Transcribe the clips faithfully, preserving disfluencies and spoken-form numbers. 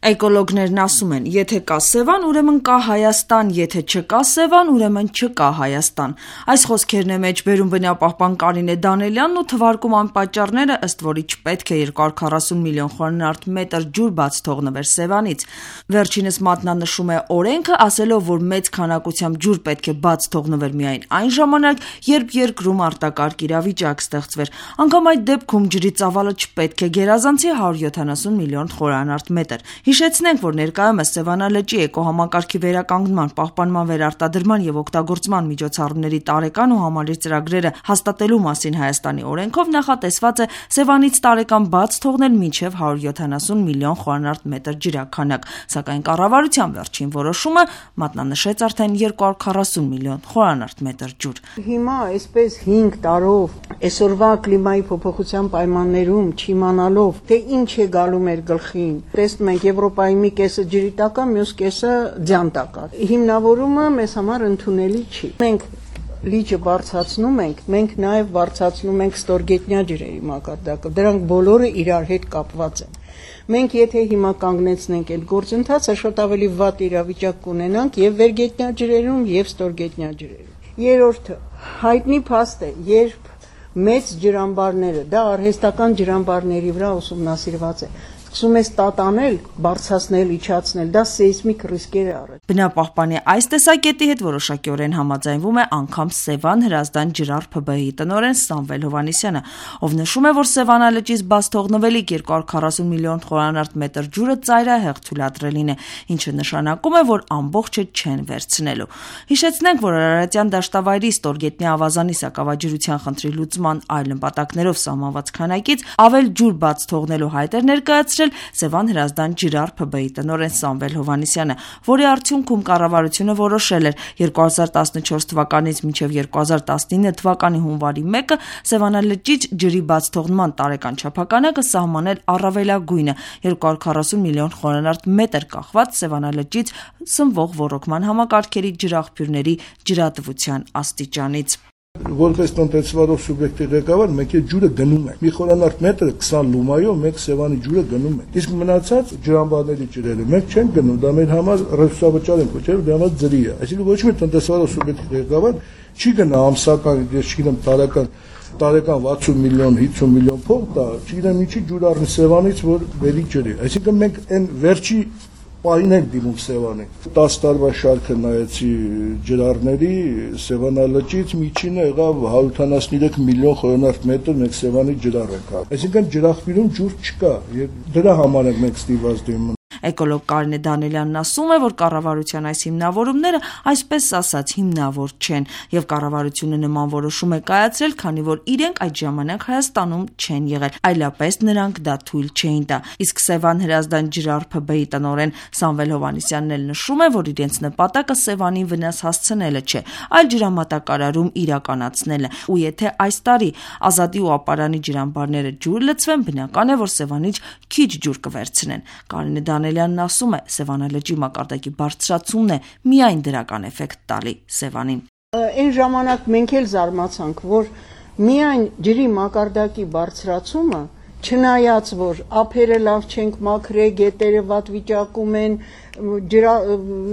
Էկոլոգներն ասում են, եթե կա Սևան, ուրեմն կա Հայաստան, եթե չկա Սևան, ուրեմն չկա Հայաստան։ Այս խոսքերն է մեջ բերում բնապահպան Կարինե Դանելյանն ու թվարկում անպատճառները, ըստ որի չպետք է երկու հարյուր քառասուն միլիոն խորանարդ մետր ջուր բաց թողնվեր Սևանից։ Վերջինս մատնանշում է օրենքը, ասելով, որ մեծ քանակությամբ ջուր պետք է բաց թողնվեր միայն այն ժամանակ, երբ երկրում արտակարգ իրավիճակ ստեղծվեր։ Անգամ այդ դեպքում ջրի ծավալը չպետք է գերազանցի հարյուր յոթանասուն միլիոն խորանարդ մետր։ Հիշեցնենք, որ ներկայումս Սևանա լճի էկոհամակարգի վերականգնման, պահպանման, վերարտադրման եւ օգտագործման միջոցառումների տարեկան ու համալիր ծրագրերը հաստատելու մասին Հայաստանի օրենքով նախատեսված է Սևանից տարեկան բաց թողնել մինչեւ հարյուր յոթանասուն միլիոն խորանարդ մետր ջրաքանակ, սակայն կառավարության վերջին որոշումը մատնանշեց արդեն երկու հարյուր քառասուն միլիոն խորանարդ մետր ջուր։ Հիմա այսպես հինգ տարով այսօրվա կլիմայի փոփոխության պայմաններում չիմանալով, թե ինչ է գալու մեր գլխին, տեսնում ենք Եվրոպայի մի կեսը ջրի տակ է, մյուս կեսը ձյան տակ է։ Հիմնավորումը մեզ համար ընդունելի չի։ Մենք լիճը բարձրացնում ենք, մենք նաև բարձրացնում ենք ստորգետնյա ջրերի մակարդակը։ Դրանք բոլորը իրար հետ կապված են։ Մենք եթե հիմա կանգնեցնենք այդ գործընթացը, շատ ավելի վատ իրավիճակ կունենանք եւ վերգետնյա ջրերում եւ ստորգետնյա ջրերում։ Երրորդը, հայտնի փաստ է, երբ մեծ ջրամբարները, դա արհեստական ջրամբարների վրա ուսումնասիրված է, սկսում ես տատանել, բարձրացնել, իջացնել, դա սեյսմիկ ռիսկեր է առել։ Բնապահպանի այս տեսակետի հետ որոշակիորեն համաձայնվում է անգամ Սևան Հրազդան ջրառ ՓԲ-ի տնօրեն Սամվել Հովհաննիսյանը, ով նշում է, որ Սևանա լճից բաց թողնվելիք երկու հարյուր քառասուն միլիոն խորանարդ մետր ջուրը ծայրահեղ թույլատրելին է, ինչը նշանակում է, որ ամբողջը չեն վերցնելու։ Հիշեցնենք, որ Արարատյան դաշտավայրի ստորգետնյա ավազանի սակավաջրության խնդրի լուծման այլ նպատակներով սահմանված քանակից ավել ջուր բաց թողնելու հայտ էր ներկայացրել Սևան Հրազդան ջրառ ՓԲ-ի տնօրեն Սամվել Հովհաննիսյանը, որի արդյունքում կառավարությունը որոշել էր երկու հազար տասնչորս թվականից մինչև երկու հազար տասնինը թվականի հունվարի մեկը Սևանա լճից ջրի բաց թողնման տարեկան չափանակը սահմանել առավելագույնը երկու հարյուր քառասուն միլիոն խորանարդ մետր կախված Սևանա լճից սնվող ոռոգման համակարգերի ջրաղբյուրների ջրատվության աստիճանից։ Որպես տնտեսվարող սուբյեկտի ղեկավար մենք այդ ջուրը գնում ենք։ Մի խորանարդ մետր քսան լումայով մենք Սևանի ջուրը գնում ենք։ Իսկ մնացած ջրամբարների ջրերը մենք չենք գնում, դա մեր համար ռեսուրսաբաճար ենք կոչել, դա համար ջրի է։ Այսինքն ոչ մի տնտեսվարող սուբյեկտի ղեկավար չի գնա ամսական, ես չգիտեմ, տարեկան տարեկան վաթսուն միլիոն, հինգ միլիոն փող տա, չգիտեմ ինչի ջուր առնի Սևանից, որ բերի ջրի։ Այսինքն մենք այն վերջի պահին ենք դիմում Սևանին։ տասը տարվա շարքը նայեցի ջրառների Սևանա լճից միջինը եղավ հարյուր ութանասուններեք միլիոն խորանարդ մետր մենք Սևանի ջրառ ենք։ Այսինքն ջրաղբյուրում ջուր չկա, եւ դրա համար ենք մենք ստիպված դիմում։ Էկոլոգ Կարինե Դանելյանն ասում է, որ կառավարության այս հիմնավորումները այսպես ասած հիմնավոր չեն եւ կառավարությունը նման որոշում է կայացրել, քանի որ իրենք այդ ժամանակ Հայաստանում չեն եղել, այլապես նրանք դա թույլ չէին տա։ Իսկ Սևան Հրազդան ջրառ ՓԲ-ի տնօրեն Սամվել Հովհաննիսյանն էլ նշում է, որ իրենց նպատակը Սևանին վնաս հասցնելը չէ, այլ ջրամատակարարում իրականացնելը։ Ու եթե այս տարի Ազատի ու Ապարանի ջրամբարները ջուր լցվեն, բնական է, որ Սևանից քիչ ջուր կվերցնեն։ Կարինե Դանելյանն ասում է, Սևանա լճի մակարդակի բարձրացումն է միայն դրական էֆեկտ տալի Սևանին։ Այն ժամանակ մենք էլ զարմացանք, որ միայն ջրի մակարդակի բարձրացումը, չնայած որ ափերը լավ չենք մաքրել, գետերը վատ վիճակում են, ջրա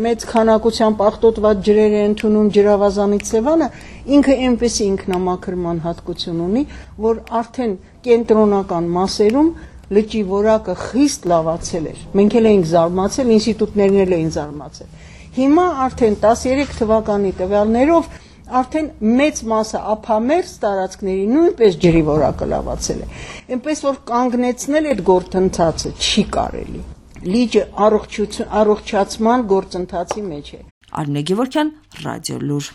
մեծ քանակությամբ աղտոտված ջրեր են ընդունում ջրավազանից Սևանը, ինքը այնպեսի ինքնամաքրման հատկություն ունի, որ արդեն կենտրոնական մասերում լճի որակը խիստ լավացել էր։ Մենք էլ էինք զարմացել, ինստիտուտներն էլ էին զարմացել։ Հիմա արդեն տասներեք թվականի տվյալներով արդեն մեծ մասը ափամերձ տարածքների նույնպես ջրի որակը լավացել է։ Այնպես որ կանգնեցնել այդ գործընթացը չի կարելի։ Լիճը առողջացման գործընթացի մեջ է։ Արմինե Գևորգյան, Ռադիո Լուր։